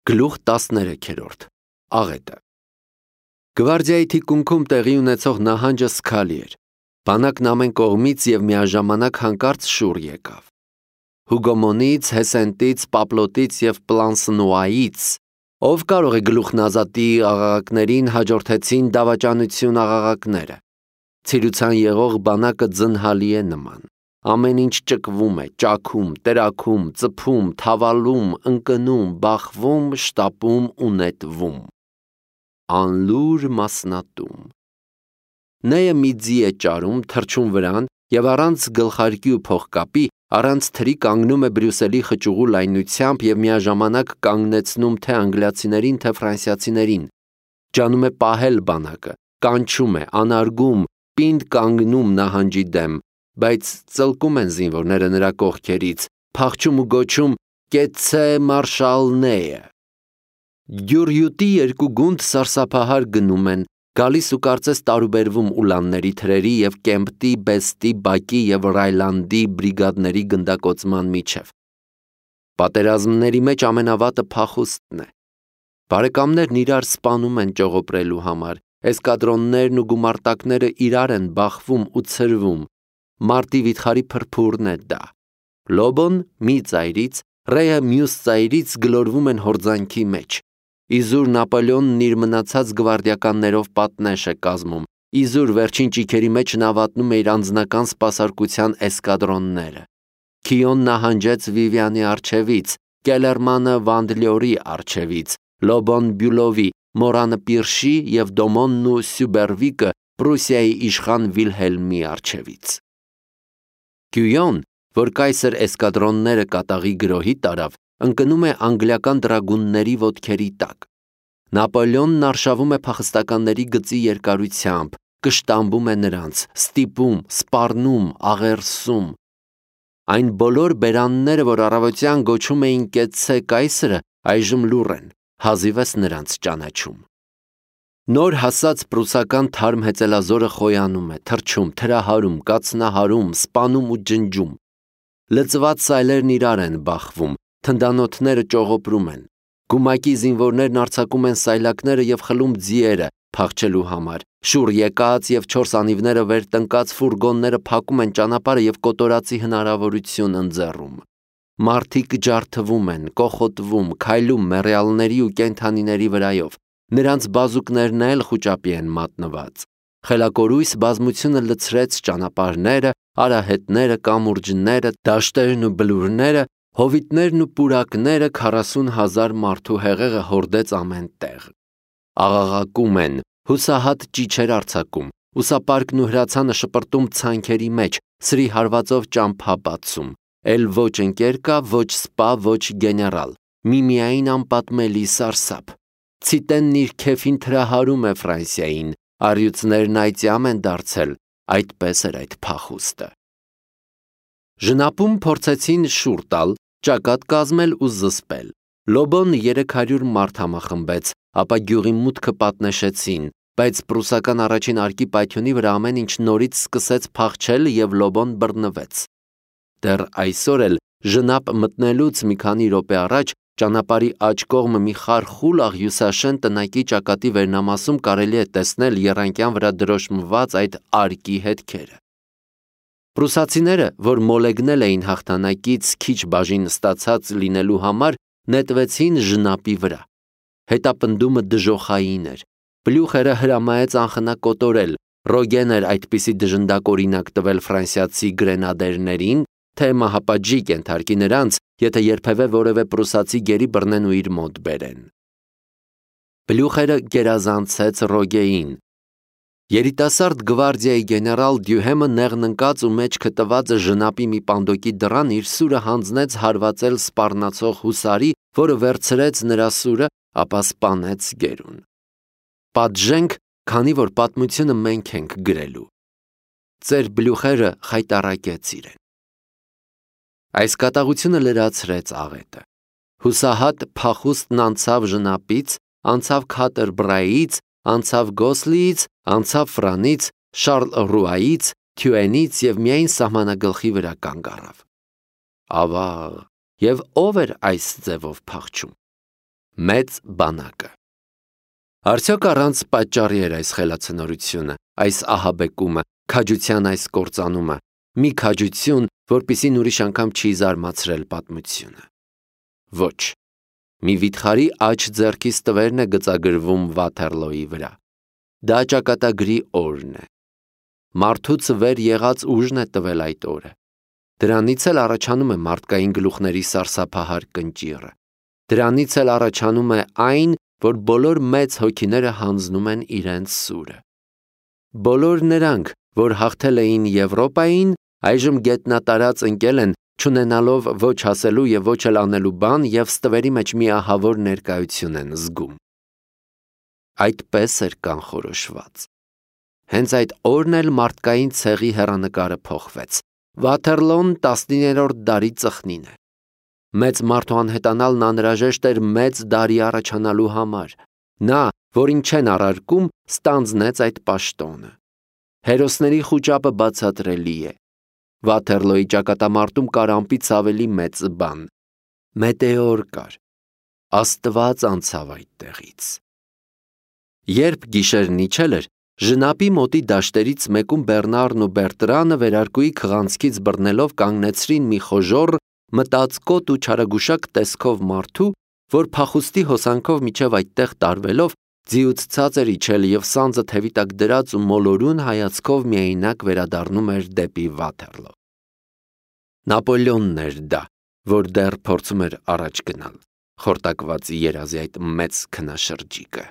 Գլուխ 13 Աղետը Գվարդիայի թիկունքում տեղի ունեցող նահանջը սքալի էր, բանակն ամեն կողմից և միաժամանակ հանկարծ շուռ եկավ: Հուգոմոնից, Հեսենտից, Պապլոտից և Պլանսնուայից, ով կարող է գլուխնազատի աղաղակներին հաջորդեցին դավաճանություն աղաղակները: Ցիրուցան եղող բանակը ձնհալի է նման: Ամեն ինչ ճկվում է, ճաքում, տրաքում, ծփում, թավալում, ընկնում, բախվում, շտապում ու նետվում: Անլուր մասնատում: Նեյը մի ձի է ճարում, թռչում վրան և առանց գլխարկի ու փողկապի, առանց թրի կանգնում է Բրյուսելի խճուղու լայնությամբ և միաժամանակ կանգնեցնում թե անգլիացիներին, թե ֆրանսիացիներին, ջանում է պահել բանակը, կանչում է, անարգում, պինդ կանգնում նահանջի դեմ, բայց ծլկում են զինվորները նրա կողքերից, փախչում ու գոչում. «Կեցցե մարշալ Նեյը»: Գյուռյուտի երկու գունդ սարսափահար գնում են, գալիս ու կարծես տարուբերվում Ուլանների թրերի և Կեմպտի, Բեստի, Բակի և Ռայլանդի բրիգադների գնդակոծման միջև: Պատերազմների մեջ ամենավատը փախուստն է: Բարեկամներն իրար սպանում են ճողոպրելու համար, էսկադրոններն ու գումարտակները իրար են բախվում ու ցրվում: Մարտի վիթխարի փրփուրն է դա: Լոբոն մի ծայրից, Ռեյը մյուս ծայրից գլորվում են հորձանքի մեջ: Իզուր Նապոլեոնն իր մնացած գվարդիականներով պատնեշ է կազմում, իզուր վերջին ճիգերի մեջ նա վատնում է իր անձնական սպասարկության էսկադրոնները: Քիոն նահանջեց Վիվյանի առջևից, Կելերմանը Վանդլյորի առջևից, Լոբոն Բյուլովի, Մորանը Պիրշի և Դոմոնն ու Սյուբերվիկը Պրուսիայի իշխան Վիլհելմի առջևից: Գյույոն, որ կայսր էսկադրոնները կատաղի գրոհի տարավ, ընկնում է անգլիական դրագունների ոտքերի տակ: Նապոլեոնն արշավում է փախստականների գծի երկարությամբ, կշտամբում է նրանց, ստիպում, սպառնում, աղերսում: Այն բոլոր բերանները, որ առավոտյան գոչում էին «Կեցցե կայսրը», այժմ լուռ են, հազիվես նրանց ճանաչում: Նոր հասած պրուսական թարմ հեծելազորը խոյանում է, թռչում, թրահարում, կացնահարում, սպանում ու ջնջում: Լծված սայլերն իրար են բախվում, թնդանոթները ճողոպրում են: Գումակի զինվորներն արձակում են սայլակները և խլում ձիերը փախչելու համար: Շուռ եկած և չորս անիվները վեր տնկած ֆուրգոնները փակում են ճանապարհը և կոտորածի հնարավորություն ընձեռում: Մարդիկ ջարդվում են, կոխոտվում, քայլում մեռյալների ու կենդանիների վրայով: Նրանց բազուկներն էլ խուճապի են մատնված: Խելակորույս բազմությունը լցրեց ճանապարհները, արահետները, կամուրջները, դաշտերն ու բլուրները, հովիտներն ու պուրակները, 40 հազար մարդու հեղեղը հորդեց ամեն տեղ: Աղաղակում են, հուսահատ ճիչեր արձակում, ուսապարկն ու հրացանը շպրտում ցանքերի մեջ, սրի հարվածով ճամփա բացում: Էլ ոչ ընկեր կա, ոչ սպա, ոչ գեներալ, միմիայն անպատմելի սարսափ: Ցիտենն իր քեֆին թրահարում է Ֆրանսիային, առյուծներն այծյամ են դարձել, այդպես էր այդ փախուստը: Ժնապում փորձեցին շուռ տալ, ճակատ կազմել ու զսպել: Լոբոն 300 մարդ համախմբեց, ապա գյուղի մուտքը պատնեշեցին, բայց պրուսական առաջին արկի պայթյունի վրա ամեն ինչ նորից սկսեց փախչել և Լոբոն բռնվեց: Դեռ այսօր էլ ժնապ մտնելուց մի քանի րոպե առաջ ճանապարհի աջ կողմը մի խարխուլ աղյուսաշեն տնակի ճակատի վերնամասում կարելի է տեսնել եռանկյան վրա դրոշմված այդ արկի հետքերը: Պրուսացիները, որ մոլեգնել էին հաղթանակից քիչ բաժին ստացած լինելու համար, նետվեցին ժնապի վրա: Հետապնդումը դժոխային էր: Բլյուխերը հրամայեց անխնա կոտորել: Ռոգեն էր այդպիսի դժնդակ տվել ֆրանսիացի գրենադերներին, թե մահապատժի կենթարկի նրանց, եթե երբևէ որևէ պրուսացի գերի բռնեն ու իր մոտ բերեն: Բլյուխերը գերազանցեց Ռոգեին: Երիտասարդ գվարդիայի գեներալ Դյուհեմը նեղն ընկած ու մեջքը տված ժնապի մի պանդոկի դռան իր սուրը հանձնեց հարվածել սպառնացող հուսարի, որը վերցրեց նրա սուրը, ապա սպանեց գերուն: Պատժենք, քանի որ պատմությունը մենք ենք գրելու: Ծեր Բլյուխերը խայտառակեց իրեն: Այս կատաղությունը լրացրեց աղետը: Հուսահատ փախուստն անցավ ժնապից, անցավ Քաթերբրայից, անցավ Գոսլիից, անցավ Ֆրանից, Շառլռուայից, Թյուենից և միայն սահմանագլխի վրա կանգ առավ: Ավա՜, և ո՞վ էր այս ձևով փախչում: Մեծ բանակը։ Արդյոք առանց պատճառի էր այս խելացնորությունը, այս ահաբեկումը, քաջության այս կործանումը, մի քաջություն, որպեսզի ուրիշ անգամ չի զարմացրել պատմությունը։ Ոչ, մի վիթխարի աջ ձեռքից տվերն է գծագրվում Վաթերլոյի վրա։ Դա ճակատագրի օրն է։ Մարդուց վեր եղած ուժն է տվել այդ օրը։ Դրանից էլ առաջանում է մարդկային գլուխների սարսափահար կնճիռը։ Դրանից էլ առաջանում է այն, որ բոլոր մեծ հոգիները հանձնում են իրենց սուրը։ Բոլոր նրանք, որ հաղթել էին Եվրոպային, այժմ գետնատարած ընկել են, չունենալով ոչ ասելու և ոչ էլ անելու բան և ստվերի մեջ մի ահավոր ներկայություն են զգում։ Այդպես էր կանխորոշված։ Հենց այդ օրն էլ մարդկային ցեղի հեռանկարը փոխվեց։ Վաթերլոն 19-րդ դարի ծխնին է։ Մեծ մարդու անհետանալն անհրաժեշտ էր մեծ դարի առաջանալու համար։ Նա, որին չեն առարկում, ստանձնեց այդ պաշտոնը։ Հերոսների խուճապը բացատրելի է։ Վաթերլոյի ճակատամարտում կար ամպից ավելի մեծ բան։ Մետեոր կար։ Աստված անցավ այդտեղից։ Երբ գիշերն իջել էր, Ժնապի մոտի դաշտերից մեկում Բեռնարն ու Բերտրանը վերարկուի քղանցքից բռնելով կանգնեցրին մի խոժոռ, մտածկոտ ու չարագուշակ տեսքով մարդու, որ փախուստի հոսանքով միջև այդտեղ տարվելով ձիուց ցած էր իջել և սանձը թևի տակ դրած ու մոլորուն հայացքով միայնակ վերադառնում էր դեպի Վաթերլո։ Նապոլեոնն էր դա, որ դեռ փորձում էր առաջ գնալ, խորտակված երազի այդ մեծ քնաշրջիկը։